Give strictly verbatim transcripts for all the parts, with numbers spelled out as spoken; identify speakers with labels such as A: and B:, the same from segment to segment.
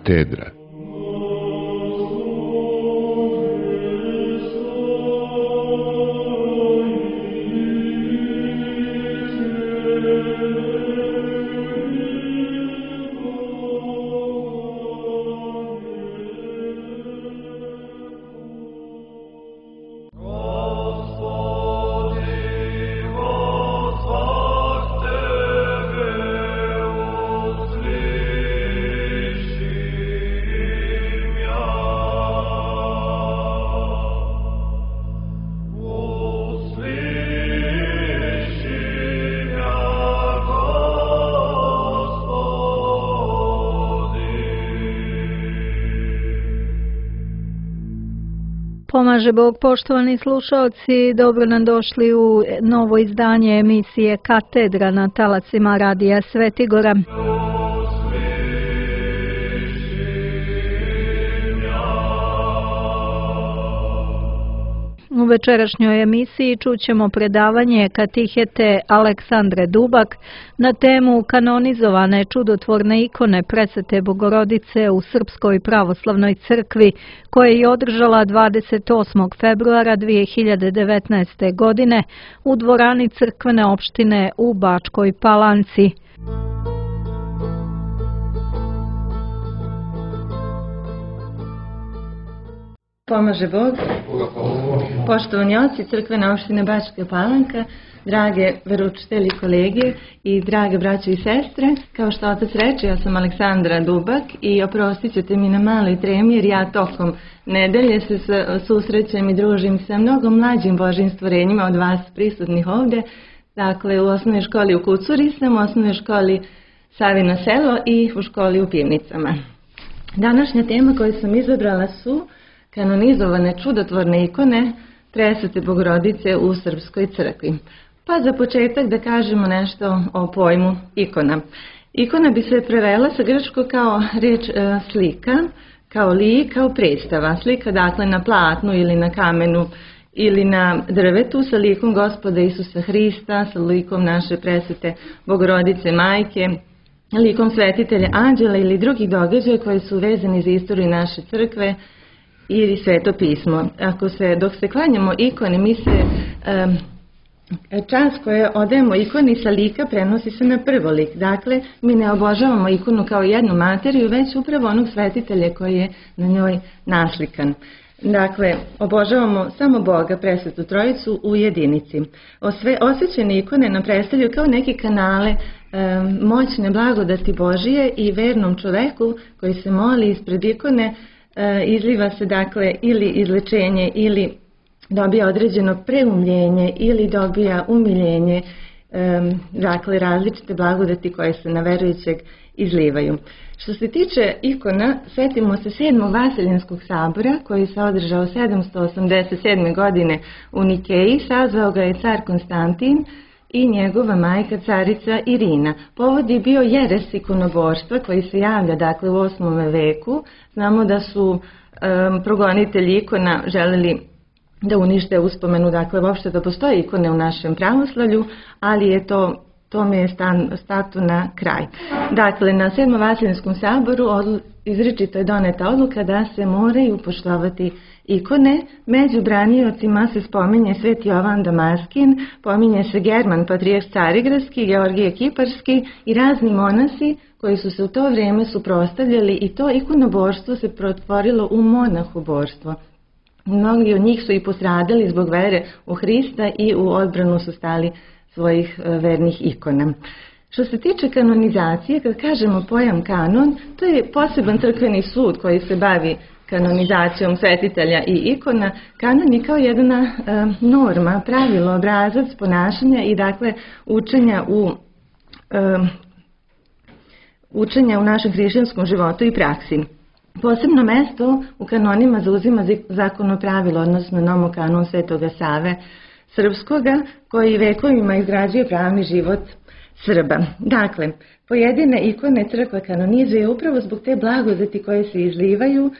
A: katedra.
B: Pomaže Bog, poštovani slušalci, dobro nam došli u novo izdanje emisije Katedra na talacima Radija Svetigora. U večerašnjoj emisiji čućemo predavanje katihete Aleksandre Dubak na temu kanonizovane čudotvorne ikone Presvete Bogorodice u Srpskoj pravoslavnoj crkvi, koje je održala dvadeset osmog februara dvije hiljade devetnaeste. godine u dvorani crkvene opštine u Bačkoj Palanci.
C: Pomaže Bog, poštovani oci crkvene opštine Bačka Palanka, drage veroučitelji kolege i drage braće i sestre, kao što otac reče, ja sam Aleksandra Dubak i oprostit ćete mi na maloj tremi jer ja tokom nedelje se susrećem i družim sa mnogo mlađim Božjim stvorenjima od vas prisutnih ovdje. Dakle, u osnovnoj školi u Kucuri sam, u osnovnoj školi Savino selo i u školi u Pivnicama. Današnja tema koju sam izabrala su kanonizovane čudotvorne ikone Presvete Bogorodice u Srpskoj crkvi. Pa za početak da kažemo nešto o pojmu ikona. Ikona bi se prevela sa grčkog kao riječ e, slika, kao lik, kao predstava. Slika dakle na platnu ili na kamenu ili na drvetu sa likom Gospoda Isusa Hrista, sa likom naše Presvete Bogorodice Majke, likom svetitelja anđela ili drugih događaja koji su vezani za istoriju naše crkve ili Sveto pismo. Ako se, dok se klanjamo ikone, mi se um, čas koje odajemo ikoni sa lika prenosi se na prvolik. Dakle, mi ne obožavamo ikonu kao jednu materiju, već upravo onog svetitelja koji je na njoj naslikan. Dakle, obožavamo samo Boga, Presvetu Trojicu u jedinici. Osve, osvećene ikone nam predstavljaju kao neke kanale um, moćne blagodati Božije i vernom čoveku koji se moli ispred ikone izliva se dakle ili izlečenje ili dobija određeno preumljenje ili dobija umiljenje, dakle različite blagodati koje se na verujućeg izlivaju. Što se tiče ikona, sjetimo se sedmog Vaseljenskog sabora koji se održao sedamsto osamdeset sedme. godine u Nikeji, sazvao ga je car Konstantin i njegova majka carica Irina. Povod je bio jeres ikonoborstva koji se javlja dakle u osmom veku. Znamo da su um, progonitelji ikona želeli da unište uspomenu, dakle uopšte da postoje ikone u našem pravoslavlju, ali je to tome je stan, statu na kraj. Dakle, na sedmom Vaseljenskom saboru odlu, izričito je doneta odluka da se moraju poštovati ikone. Među braniocima se spominje Sveti Jovan Damaskin, pominje se German Patrijarh Carigradski, Georgije Kiparski i razni monasi koji su se u to vrijeme suprotstavljali i to ikonoborstvo se pretvorilo u monahoborstvo. Mnogi od njih su i postradali zbog vere u Hrista i u odbranu su stali svojih vernih ikona. Što se tiče kanonizacije, kad kažemo pojam kanon, to je poseban crkveni sud koji se bavi kanonizacijom svetitelja i ikona. Kanon je kao jedna e, norma, pravilo, obrazac ponašanja i dakle učenja u, e, učenja u našem hrišćanskom životu i praksi. Posebno mesto u kanonima zauzima zakonno pravilo, odnosno nomokanon Svetoga Save Srpskoga, koji vekovima izgrađuje pravni život Srba. Dakle, pojedine ikone crkva kanonizuje upravo zbog te blagodati koje se izlivaju.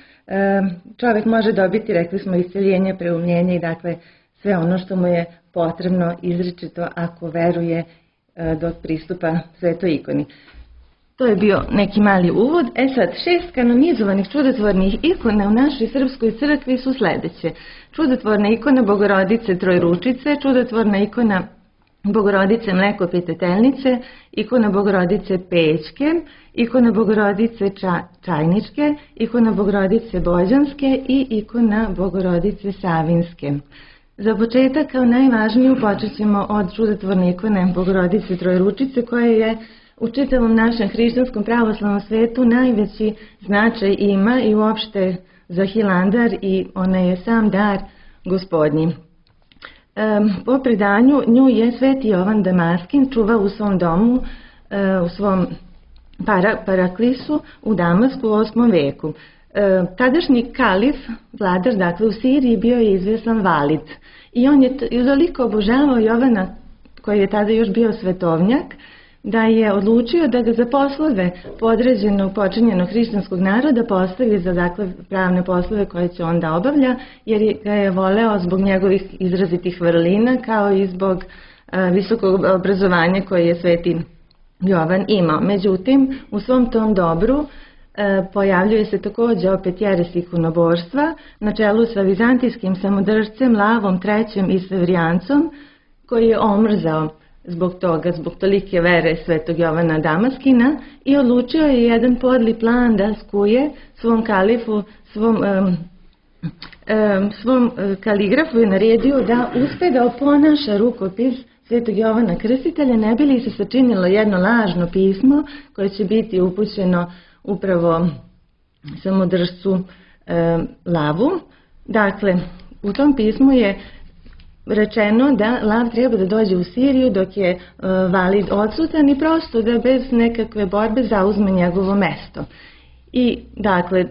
C: Čovjek može dobiti, rekli smo, isceljenje, preumljenje i dakle sve ono što mu je potrebno izričito ako veruje dok pristupa svetoj ikoni. To je bio neki mali uvod. E sad, šest kanonizovanih čudotvornih ikona u našoj srpskoj crkvi su sledeće. Čudotvorna ikona Bogorodice Trojručice, čudotvorna ikona Bogorodice Mlekopitetelnice, ikona Bogorodice Pećke, ikona Bogorodice Ča, Čajničke, ikona Bogorodice Bođanske i ikona Bogorodice Savinske. Za početak, kao najvažniju, počet ćemo od čudotvorne ikone Bogorodice Trojručice, koja je u čitavom našem hrišćanskom pravoslavnom svetu najveći značaj ima i uopšte za Hilandar, i ona je sam dar Gospodnji. E, po predanju nju je sveti Jovan Damaskin čuvao u svom domu, e, u svom para, paraklisu u Damasku u osmom veku. E, tadašnji kalif, vladar dakle u Siriji, bio je izvjestan Valid i on je toliko obožavao Jovana, koji je tada još bio svetovnjak, da je odlučio da ga za poslove podređenog počinjenog hrišćanskog naroda postavi za dakle pravne poslove koje će onda obavlja, jer ga je voleo zbog njegovih izrazitih vrlina, kao i zbog a, visokog obrazovanja koje je sveti Jovan imao. Međutim, u svom tom dobru a, pojavljuje se također opet jeres ikonoborstva na čelu sa vizantijskim samodržcem Lavom trećim i Sevrijancom, koji je omrzao zbog toga, zbog tolike vere svetog Jovana Damaskina, i odlučio je jedan podli plan da skuje svom kalifu, svom, um, um, svom kaligrafu je naredio da uspe da oponaša rukopis svetog Jovana Krstitelja, ne bi li se sačinilo jedno lažno pismo koje će biti upućeno upravo samodržcu um, Lavu. Dakle, u tom pismu je rečeno da Lav treba da dođe u Siriju dok je uh, Valid odsutan i prosto da bez nekakve borbe zauzme njegovo mesto. I dakle,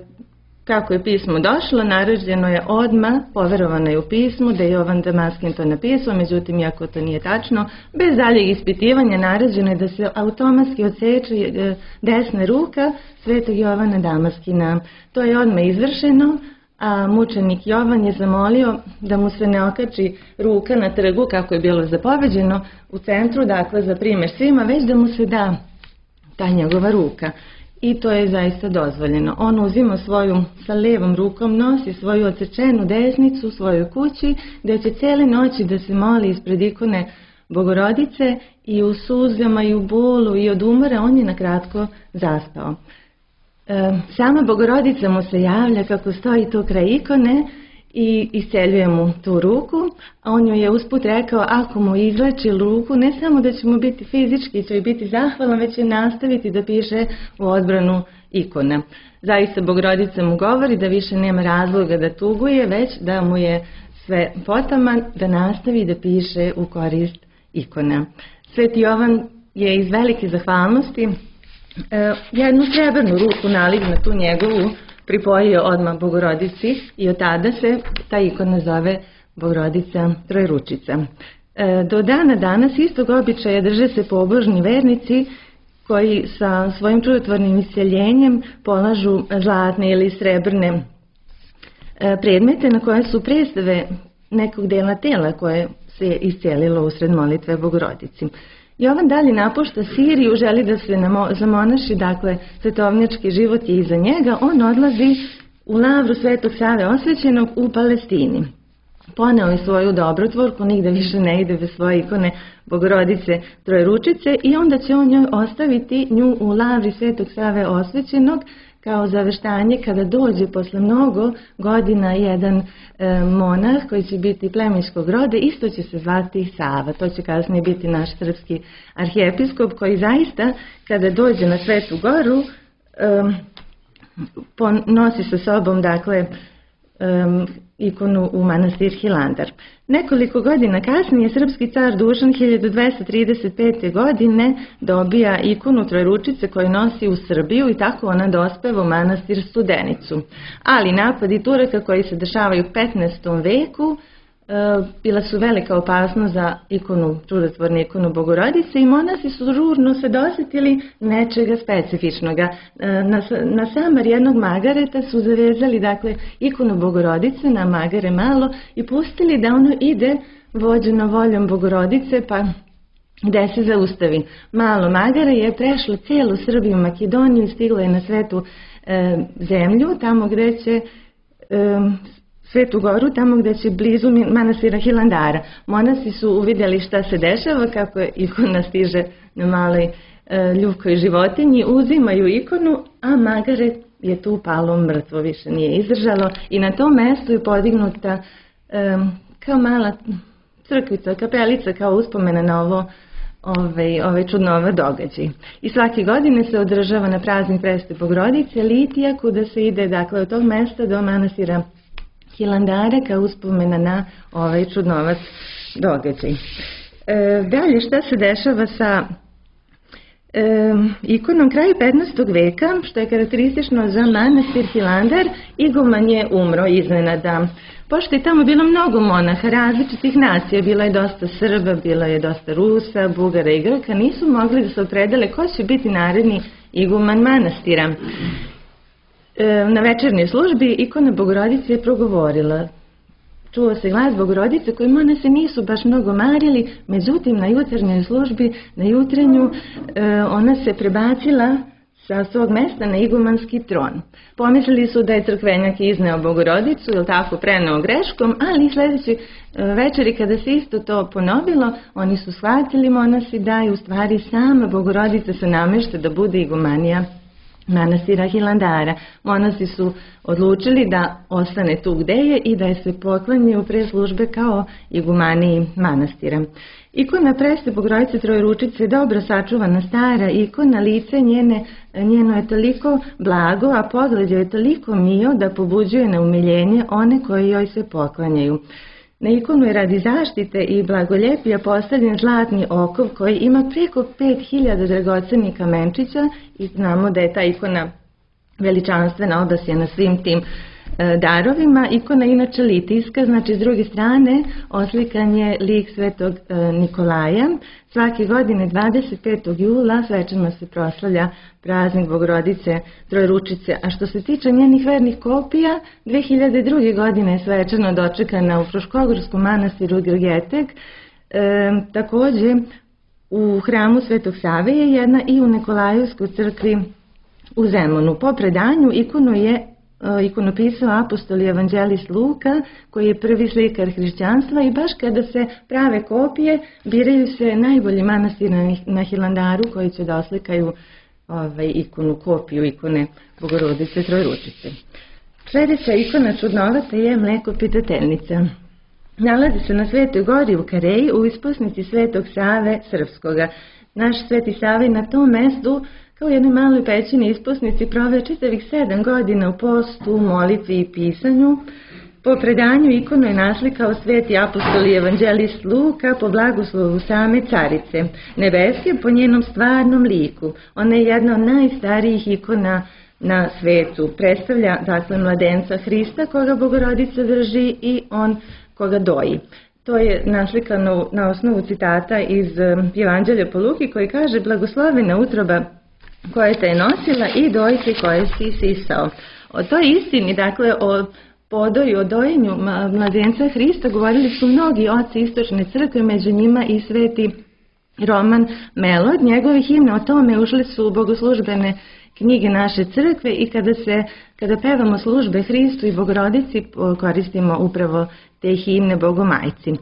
C: kako je pismo došlo, naređeno je odmah, poverovano je u pismu da je Jovan Damaskin to napisao, međutim, iako to nije tačno, bez daljeg ispitivanja naređeno je da se automatski odseče desna ruka svetog Jovana Damaskina. To je odmah izvršeno, a mučenik Jovan je zamolio da mu se ne okači ruka na trgu kako je bilo zapoveđeno u centru, dakle za primjer svima, već da mu se da ta njegova ruka. I to je zaista dozvoljeno. On uzima svoju, sa levom rukom nosi svoju odsečenu desnicu u svojoj kući, gdje će cijele noći da se moli ispred ikone Bogorodice, i u suzama i u bolu i od umora on je na kratko zaspao. Sama Bogorodica mu se javlja kako stoji tu kraj ikone i isceljuje mu tu ruku, a on joj je usput rekao ako mu izleči ruku, ne samo da će mu biti fizički, će biti zahvalan, već će nastaviti da piše u odbranu ikona. Zaista Bogorodica mu govori da više nema razloga da tuguje, već da mu je sve potaman da nastavi da piše u korist ikona. Sveti Jovan je iz velike zahvalnosti jednu srebrnu ruku nalik na tu njegovu pripojio odmah Bogorodici, i od tada se ta ikona zove Bogorodica Trojručica. Do dana danas istog običaja drže se pobožni vernici koji sa svojim čudotvornim isceljenjem polažu zlatne ili srebrne predmete na koje su predstave nekog dela tela koje se iscelilo usred molitve Bogorodici. Jovan dalje napušta Siriju, želi da se zamonaši, dakle, svetovnjački život je iza njega. On odlazi u lavru Svetog Save Osvećenog u Palestini. Poneo je svoju dobrotvorku, nigde više ne ide bez svoje ikone Bogorodice Trojručice, i onda će on njoj ostaviti nju u lavri Svetog Save Osvećenog kao zaveštanje kada dođe posle mnogo godina jedan e, monah koji će biti plemenskog roda, isto će se zvati Sava. To će kasnije biti naš srpski arhijepiskop koji zaista kada dođe na Svetu Goru e, nosi sa sobom dakle um, ikonu u manastir Hilandar. Nekoliko godina kasnije srpski car Dušan hiljadu dvesta trideset pete. godine dobija ikonu Trojručice koju nosi u Srbiju, i tako ona dospeva u manastir Studenicu. Ali napadi Turaka koji se dešavaju u petnaestom veku bila su velika opasnost za ikonu, čudotvornu ikonu Bogorodice, i monasi su žurno se dosjetili nečega specifičnoga. Na, na samar jednog magareta su zavezali dakle ikonu Bogorodice na magare malo i pustili da ono ide vođeno voljom Bogorodice, pa gde se zaustavi. Malo magare je prešlo celu Srbiju, Makedoniju i stiglo je na Svetu e, zemlju, tamo gde će e, Svetu goru, tamo gde će blizu manastira Hilandara. Monasi su uvidjeli šta se dešava, kako je ikona stiže na maloj e, ljubkoj životinji, uzimaju ikonu, a magare je tu palo mrtvo, više nije izdržalo i na tom mestu je podignuta e, kao mala crkvica, kapelica, kao uspomena na ovo Ove, ove čudnove događaje. I svake godine se održava na praznik Presvete Bogorodice litija, kuda se ide dakle od tog mesta do manastira Hilandara kao uspomena na ovaj čudnovac događaj. E, dalje šta se dešava sa e, ikonom kraju petnaestog veka, što je karakteristično za manastir Hilandar, iguman je umro iznenada. Pošto je tamo bilo mnogo monaha različitih nacija, bilo je dosta Srba, bilo je dosta Rusa, Bugara i Grka, nisu mogli da se opredele ko će biti naredni iguman manastira. E, na večernjoj službi ikona Bogorodice je progovorila. Čuo se glas Bogorodice koji monasi nisu baš mnogo marili, međutim na jutarnjoj službi, na jutrenju, e, ona se prebacila sa svog mesta na igumanski tron. Pomislili su da je crkvenjak izneo Bogorodicu, ili tako preneo greškom, ali sljedeći večeri kada se isto to ponovilo, oni su shvatili monasi da je u stvari sama Bogorodica se namešta da bude igumanija manastira Hilandara. Monasi su odlučili da ostane tu gde je i da je se poklanjaju pre službe kao igumaniji manastira. Ikona Presvete Bogorodice Trojeručice je dobro sačuvana stara ikona, lice njene, njeno je toliko blago, a pogled joj je toliko mio da pobuđuje na umiljenje one koji joj se poklanjaju. Na ikonu je radi zaštite i blagoljepija postavljen zlatni okov koji ima preko pet hiljada dragocenih kamenčića i znamo da je ta ikona veličanstvena, obasjena svim tim darovima. Ikona je inače litijska, znači s druge strane oslikan je lik Svetog Nikolaja. Svake godine dvadeset petog jula svečano se proslavlja praznik Bogorodice Trojeručice, a što se tiče njenih vernih kopija, dve hiljade druge. godine je svečano dočekana u Fruškogorskom manastiru Grgeteg, e, takođe u hramu Svetog Save je jedna i u Nikolajevskoj crkvi u Zemunu. Po predanju ikonu je ikonopisao apostol i evanđelist Luka, koji je prvi slikar hrišćanstva, i baš kada se prave kopije, biraju se najbolji manastiri na Hilandaru koji će da oslikaju ovaj, ikonu, kopiju ikone Bogorodice Trojeručice. Sljedeća ikona čudnovata je Mlekopitateljnica. Nalazi se na Svetoj gori u Kareji u isposnici Svetog Save Srpskoga. Naš Sveti Sava na tom mestu kao u jednoj maloj pećini isposnici proveo čitavih sedam godina u postu, molitvi i pisanju. Po predanju ikonu je naslikao sveti apostol i evanđelist Luka po blagoslovu same carice nebeske po njenom stvarnom liku. Ona je jedna od najstarijih ikona na svetu. Predstavlja dakle mladenca Hrista koga Bogorodica drži i on koga doji. To je naslikano na osnovu citata iz Evanđelja po Luki koji kaže: blagoslovena utroba koja te je nosila i dojke koje si sisao. O toj istini, dakle o podoju, o dojenju mladenca Hrista govorili su mnogi oci istočne crkve, među njima i sveti Roman Melod. Njegove himne o tome ušle su u bogoslužbene knjige naše crkve i kada se kada pevamo službe Hristu i Bogorodici koristimo upravo te himne Bogomajci.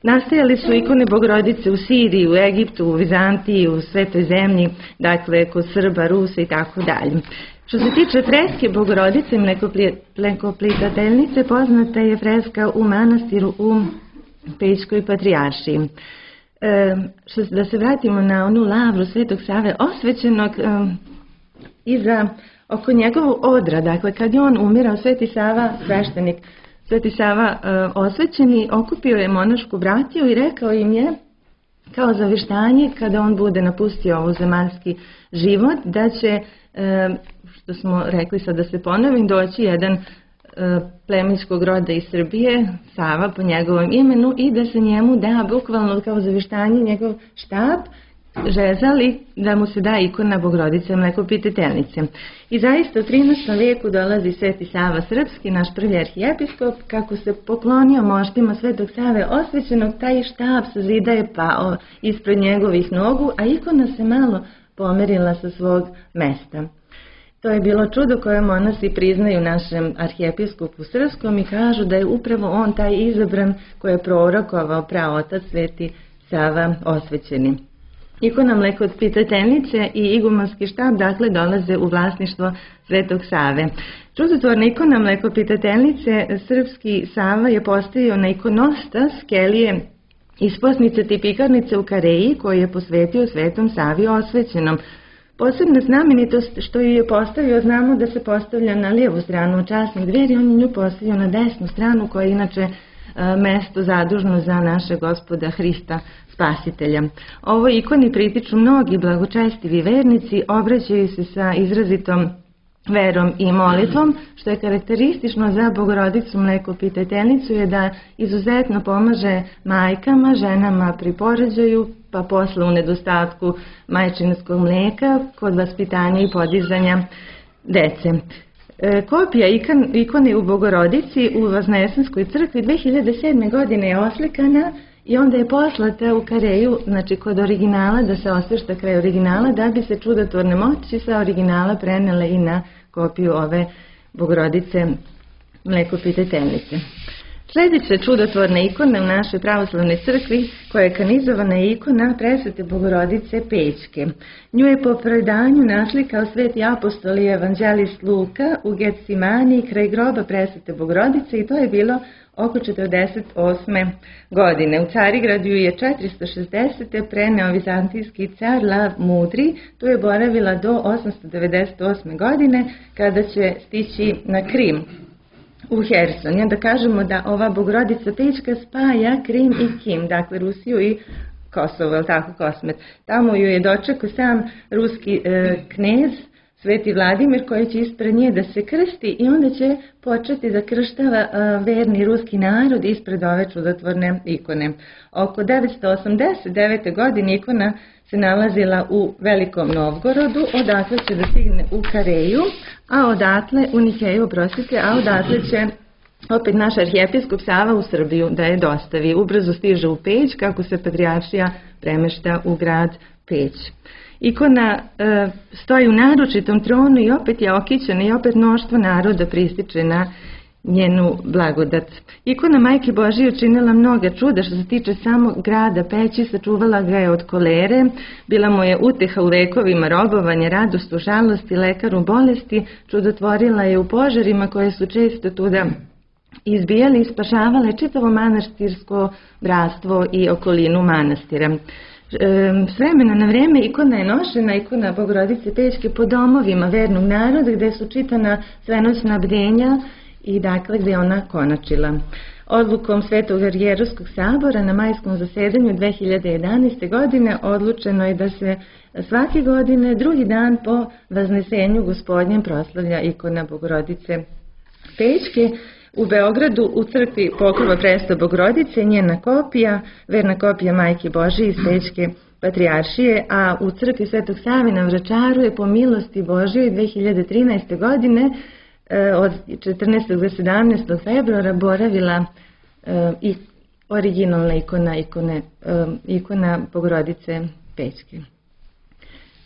C: Nastajali su ikone Bogorodice u Siriji, u Egiptu, u Vizantiji, u Svetoj zemlji, dakle kod Srba, Rusa i tako dalje. Što se tiče freske Bogorodice Mlekopitateljnice, poznata je freska u manastiru u Pećkoj patrijaršiji. E, što, da se vratimo na onu lavru Svetog Save osvećenog e, iza oko njegovog odra, dakle kad je on umirao, Sveti Sava, sveštenik, Sveti Sava e, osvećeni, okupio je monašku bratiju i rekao im je kao zaveštanje kada on bude napustio ovo zemaljski život da će, e, što smo rekli sad da se ponovim, doći jedan e, plemenskog roda iz Srbije, Sava po njegovom imenu, i da se njemu da bukvalno kao zaveštanje njegov štap žezali da mu se da ikona Bogorodice Mlekopitateljice. I zaista u trinaestom veku dolazi Sveti Sava Srpski, naš prvi arhijepiskop, kako se poklonio moštima Svetog Save osvećenog, taj štab sa zida je pao ispred njegovih nogu, a ikona se malo pomerila sa svog mesta. To je bilo čudo koje monasi priznaju našem arhijepiskopu Srpskom i kažu da je upravo on taj izabran koji je prorokovao praotac Sveti Sava osvećeni. Ikona Mlekopitateljice i igumanski štab dakle dolaze u vlasništvo Svetog Save. Čudotvorna ikona Mlekopitateljice Srpski Sava je postavio na ikonostas kelije isposnice tipikarnice u Kareji koju je posvetio Svetom Savi osvećenom. Posebna znamenitost što ju je postavio, znamo da se postavlja na lijevu stranu časnih dveri, on je nju postavio na desnu stranu koja je inače mesto zadužno za našeg Gospoda Hrista Spasitelja. Ovoj ikoni pritiču mnogi blagočestivi vernici, obraćaju se sa izrazitom verom i molitvom, što je karakteristično za Bogorodicu Mlekopitateljicu je da izuzetno pomaže majkama, ženama pri porođaju, pa posle u nedostatku majčinskog mlijeka kod vaspitanja i podizanja dece. E, kopija ikon, ikone u Bogorodici u Voznesenskoj crkvi dve hiljade sedme. godine je oslikana i onda je poslata u Kareju, znači kod originala, da se osvešta kraj originala, da bi se čudotvorne moći sa originala prenele i na kopiju ove Bogorodice Mlekopitateljice. Sljedeća čudotvorna ikona u našoj pravoslavnoj crkvi koja je kanizovana je ikona Presvete Bogorodice Pećke. Nju je po predanju naslikao sveti apostol i evanđelist Luka u Getsimani kraj groba Presvete Bogorodice i to je bilo oko četrdeset osme. godine. U Carigradu je četiristo šezdesete. preneo vizantijski car Lav Mudri, tu je boravila do osamsto devedeset osme. godine kada će stići na Krim u Herson. I onda kažemo da ova Bogorodica Pećka spaja Krim i Kim, dakle Rusiju i Kosovo, je li tako, Kosmet. Tamo ju je dočekao sam ruski e, knez Sveti Vladimir koji će ispred nje da se krsti i onda će početi da krštava e, verni ruski narod ispred ove čudotvorne ikone. Oko devetsto osamdeset devete. godine ikona se nalazila u Velikom Novgorodu, odatle će da stigne u Kareju, a odatle u Nikeju, oprostite, a odatle će opet naš arhijepiskop Sava u Srbiju da je dostavi. Ubrzo stiže u Peć kako se patrijaršija premešta u grad Peć. Ikona e, stoji u naručitom tronu i opet je okićena i opet mnoštvo naroda prističe na njenu blagodat. Ikona Majke Božije učinila mnoga čuda što se tiče samog grada Peći, sačuvala ga je od kolere, bila mu je uteha u vekovima robovanja, radost u žalosti, lekar u bolesti, čudotvorila je u požarima koje su često tuda izbijali i spašavale čitavo manastirsko bratstvo i okolinu manastira. S vremena na vreme ikona je nošena, ikona Bogorodice Pećke, po domovima vernog naroda gde su čitana svenoćna bdenja i dakle gde ona konačila. Odlukom Svetog Arhijerejskog sabora na majskom zasedanju dve hiljade jedanaeste. godine odlučeno je da se svake godine drugi dan po Vaznesenju Gospodnjem proslavlja ikona Bogorodice Pećke. U Beogradu u crkvi Pokrova Presta Bogorodice njena kopija, verna kopija Majke Božije iz Pećke patrijaršije, a u crkvi Svetog Save na Vračaru je po milosti Božije dve hiljade trinaeste. godine od četrnaestog do sedamnaestog februara boravila i originalna ikona, ikone, ikona Bogorodice Pećke.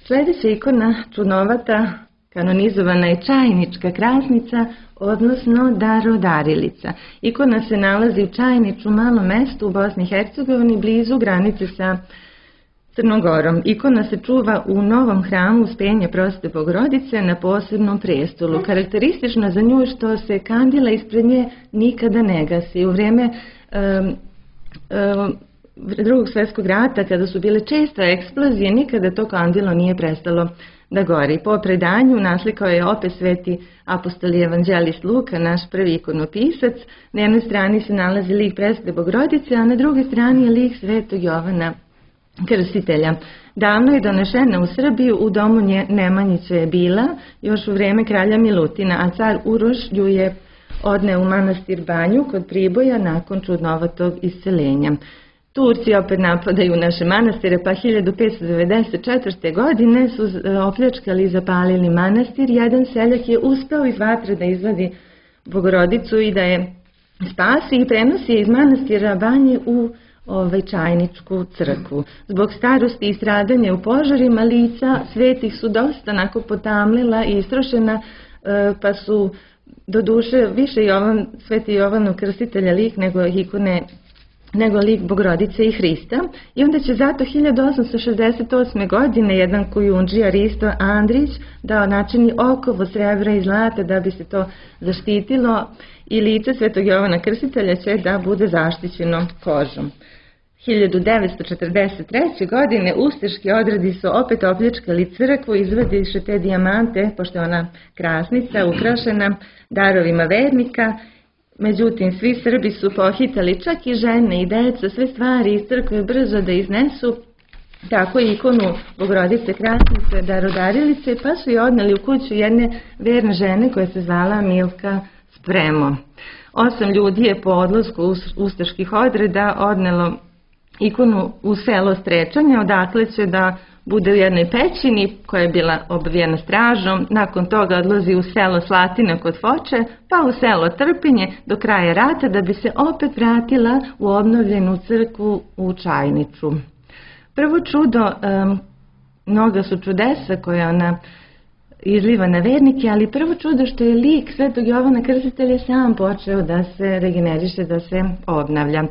C: Sljedeća ikona čudnovata, kanonizovana je Čajnička krasnica, odnosno Darodarilica. Ikona se nalazi u Čajniču, malom mestu u Bosni i Hercegovini, blizu granice sa Crnogorom. Ikona se čuva u novom hramu Uspenja Prosvete Bogorodice na posebnom prestolu. Karakteristično za nju što se kandila ispred nje nikada ne gasi. U vrijeme um, um, drugog svjetskog rata, kada su bile česte eksplozije, nikada to kandilo nije prestalo da gori. Po predanju naslikao je opet sveti apostol i evanđelist Luka, naš prvi ikonopisac. Na jednoj strani se nalazi lik Presvete Bogorodice, a na drugoj strani je lik Svetog Jovana Krstitelja. Davno je donešena u Srbiju, u domu Nemanjića je bila, još u vrijeme kralja Milutina, a car Uroš ju je odneo u manastir Banju kod Priboja nakon čudnovatog isceljenja. Turci opet napadaju naše manastire, pa hiljadu petsto devedeset četvrte. godine su opljačkali i zapalili manastir. Jedan seljak je uspeo iz vatre da izvadi Bogorodicu i da je spasi i prenosi je iz manastira Banje u ovaj, Čajničku crkvu. Zbog starosti i stradanja u požarima lica svetih su dosta onako potamlila i istrošena, pa su doduše više Jovan, sveti Jovanov Krstitelja lik nego ikone nego lik Bogorodice i Hrista. I onda će zato hiljadu osamsto šezdeset osme. godine jedan kujundžija Risto Andrić dao načini okovo srebra i zlata da bi se to zaštitilo i lice svetog Jovana Krstitelja će da bude zaštićeno kožom. hiljadu devetsto četrdeset treće. godine ustaški odredi su opet opljačkali crkvu, izvadiše te dijamante, pošto je ona krasnica ukrašena darovima vernika. Međutim, svi Srbi su pohitali, čak i žene i deca, sve stvari iz crkve brzo da iznesu, tako i ikonu Bogorodice Krasnice, Darodarilice, pa su je odneli u kuću jedne verne žene koja se zvala Milka Spremo. Osam ljudi je po odlasku ustaških odreda odnelo ikonu u selo Strečanje, odakle će da bude u jednoj pećini koja je bila obavijena stražom, nakon toga odlazi u selo Slatina kod Foče, pa u selo Trpinje do kraja rata da bi se opet vratila u obnovljenu crkvu u Čajniču. Prvo čudo, um, mnoga su čudesa koje ona izliva na vernike, ali prvo čudo što je lik svetog Jovana Krstitelja sam počeo da se regeneriše, da se obnavlja.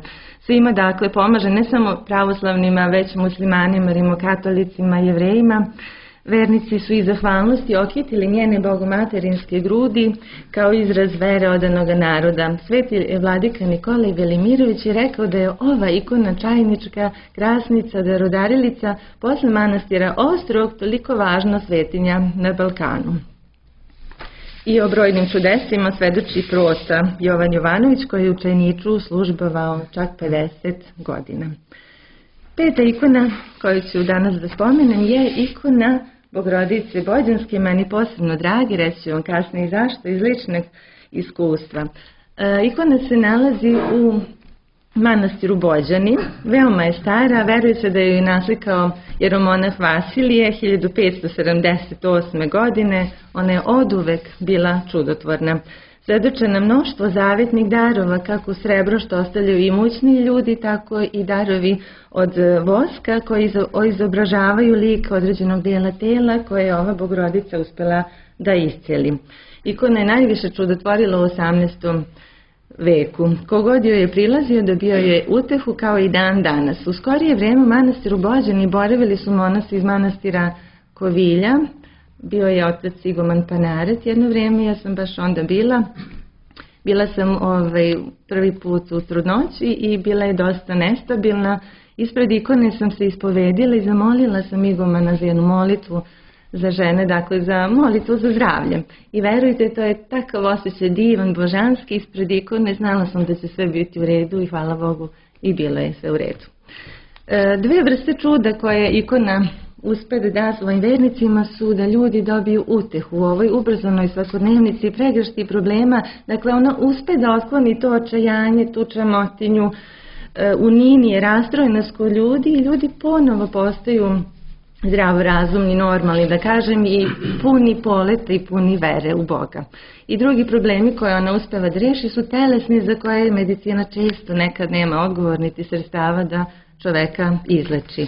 C: Svima dakle pomaže, ne samo pravoslavnima, već muslimanima, rimokatolicima, jevrejima. Vernici su iz zahvalnosti okitili njene bogomaterinske grudi kao izraz vere odanoga naroda. Sveti vladika Nikolaj Velimirović je rekao da je ova ikona Čajnička Krasnica Darodarilica posle manastira Ostrog toliko važna svetinja na Balkanu. I o brojnim čudesima svedoči proca Jovan Jovanović koji je u Čajniču službovao čak pedeset godina. Peta ikona koju ću danas da spomenem je ikona Bogorodice Bođanske, meni posebno dragi, reći ću vam kasnije zašto, iz ličnog iskustva. E, ikona se nalazi u manastiru Bođani, veoma je stara, veruje se da ju je naslikao jeromonah Vasilije hiljadu petsto sedamdeset osme. godine, ona je oduvek bila čudotvorna. Svedoče na mnoštvo zavetnih darova, kako srebro što ostavljaju imućni ljudi, tako i darovi od voska koji izobražavaju lik određenog dijela tela koje je ova Bogorodica uspela da iscijeli. Ikona je najviše čudotvorila u osamnaestom veku. Kogod joj je prilazio dobio je utehu kao i dan danas. U skorije vreme u manastiru Bođani boravili su monasi iz manastira Kovilja. Bio je otac Iguman Panaret jedno vrijeme, ja sam baš onda bila. Bila sam ovaj, prvi put u trudnoći i bila je dosta nestabilna. Ispred ikone sam se ispovedila i zamolila sam Igumana za jednu molitvu za žene, dakle za molitvu za zdravlje. I verujte, to je takav osjećaj divan, božanski, ispred ikone, znala sam da će sve biti u redu i hvala Bogu i bilo je sve u redu. E, dve vrste čuda koje ikona uspe da da svojim vernicima su da ljudi dobiju utehu u ovoj ubrzanoj svakodnevnici, pregršti problema, dakle ona uspe da otkloni to očajanje, tu čamotinju, e, uninije, rastrojenost kod ljudi i ljudi ponovo postaju zdravorazumni, normalni, da kažem, i puni poleta i puni vere u Boga. I drugi problemi koje ona uspeva da reši su telesni, za koje medicina često nekad nema odgovor niti sredstava da čoveka izleči.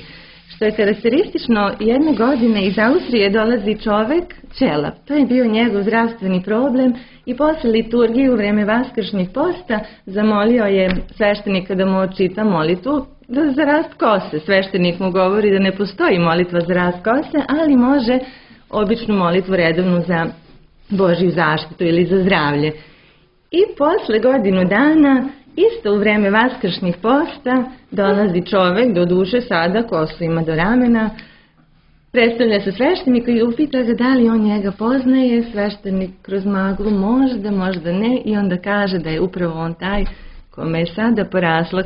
C: Što je karakteristično, jedne godine iz Austrije dolazi čovek, ćelav. To je bio njegov zdravstveni problem i posle liturgije u vreme vaskršnjeg posta zamolio je sveštenika da mu očita molitvu za rast kose. Sveštenik mu govori da ne postoji molitva za rast kose, ali može običnu molitvu redovnu za Božju zaštitu ili za zdravlje. I posle godinu dana, isto u vreme vaskršnjih posta, dolazi čovek, do duše sada, kosu ima do ramena, predstavlja se svešteniku i upita ga da li on njega poznaje. Sveštenik kroz maglu možda, možda ne, i onda kaže da je upravo on taj kome je sada porasla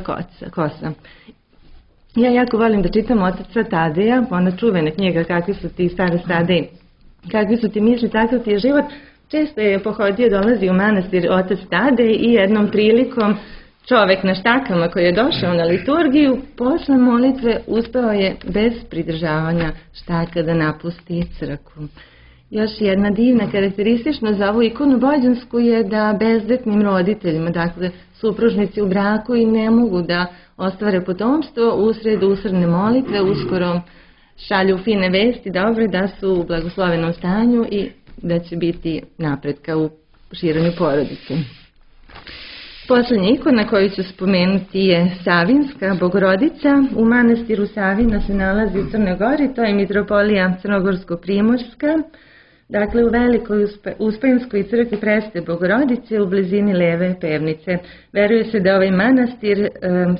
C: kosa. Ja jako volim da čitam otaca Tadeja, ona čuvena knjiga Kakvi su ti stare stade, kakvi su ti misli, takav ti je život. Često je pohodio, dolazi u manastir otac Tadej i jednom prilikom čovek na štakama koji je došao na liturgiju, posle molitve uspeo je bez pridržavanja štaka da napusti crkvu. Još jedna divna karakteristična za ovu ikonu bođansku je da bezdetnim roditeljima, dakle supružnici u braku i ne mogu da ostvare potomstvo, usred usredne molitve uskoro šalju fine vesti, dobre, da su u blagoslovenom stanju i da će biti napretka u širenju porodice. Poslednja ikona koju ću spomenuti je Savinska Bogorodica. U manastiru Savina se nalazi u Crnoj Gori, to je mitropolija Crnogorsko-Primorska. Dakle, u velikoj Uspenskoj crkvi Presvete Bogorodice u blizini Leve Pevnice. Veruje se da ovaj manastir e,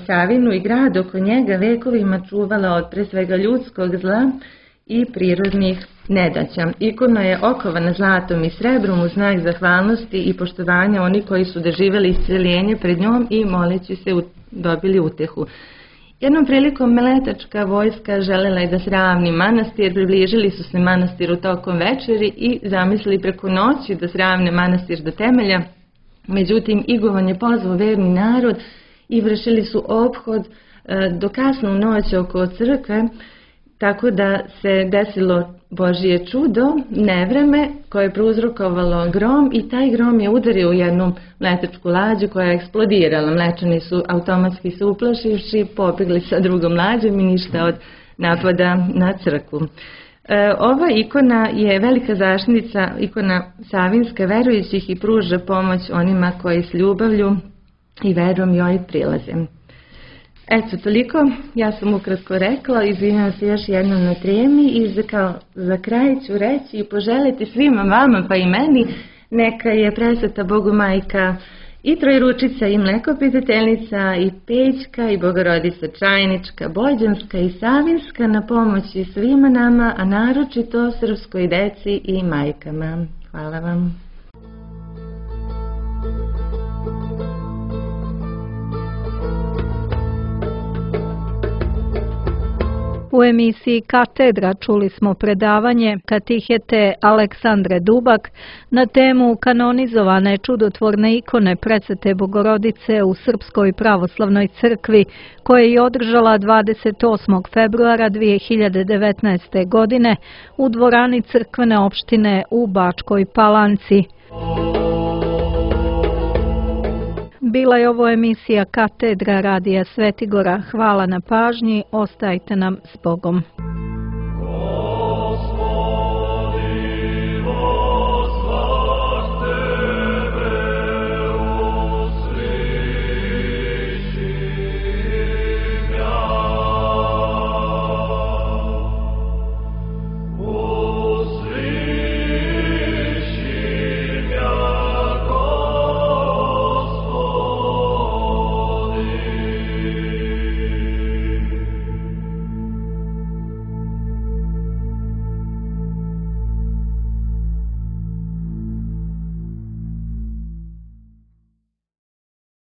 C: Savinu i grad oko njega vekovima čuvala od pre svega ljudskog zla i prirodnih nedaća. Ikona je okovana zlatom i srebrom u znak zahvalnosti i poštovanja oni koji su doživjeli isceljenje pred njom i moleći se dobili utehu. Jednom prilikom meletačka vojska želela je da sravni manastir, približili su se manastiru tokom večeri i zamislili preko noći da sravne manastir do temelja. Međutim, Igovan je pozvao verni narod i vršili su ophod do kasnu noć oko crkve, tako da se desilo Božije čudo, nevreme koje je prouzrokovalo grom i taj grom je udario u jednu mletačku lađu koja je eksplodirala. Mlečani su automatski se uplašivši, pobjegli sa drugom lađom i ništa od napada na crkvu. E, ova ikona je velika zaštitnica, ikona Savinska verujućih i pruža pomoć onima koji s ljubavlju i verom joj prilaze. Eto, toliko. Ja sam ukratko rekla, izvinjam se još jednom na tremi i za, kao, za kraj ću reći i poželiti svima vama pa i meni neka je presveta Bogu majka i Trojručica i Mlekopitateljica i Pećka i Bogorodica Čajnička, Bođanska i Savinska na pomoći svima nama, a naročito srpskoj deci i majkama. Hvala vam.
B: U emisiji Katedra čuli smo predavanje katihete Aleksandre Dubak na temu kanonizovane čudotvorne ikone Presvete Bogorodice u Srpskoj pravoslavnoj crkvi, koje je održala dvadeset osmog februara dvije hiljade devetnaeste. godine u dvorani crkvene opštine u Bačkoj Palanci. Bila je ovo emisija Katedra radija Svetigora. Hvala na pažnji, ostajte nam s Bogom.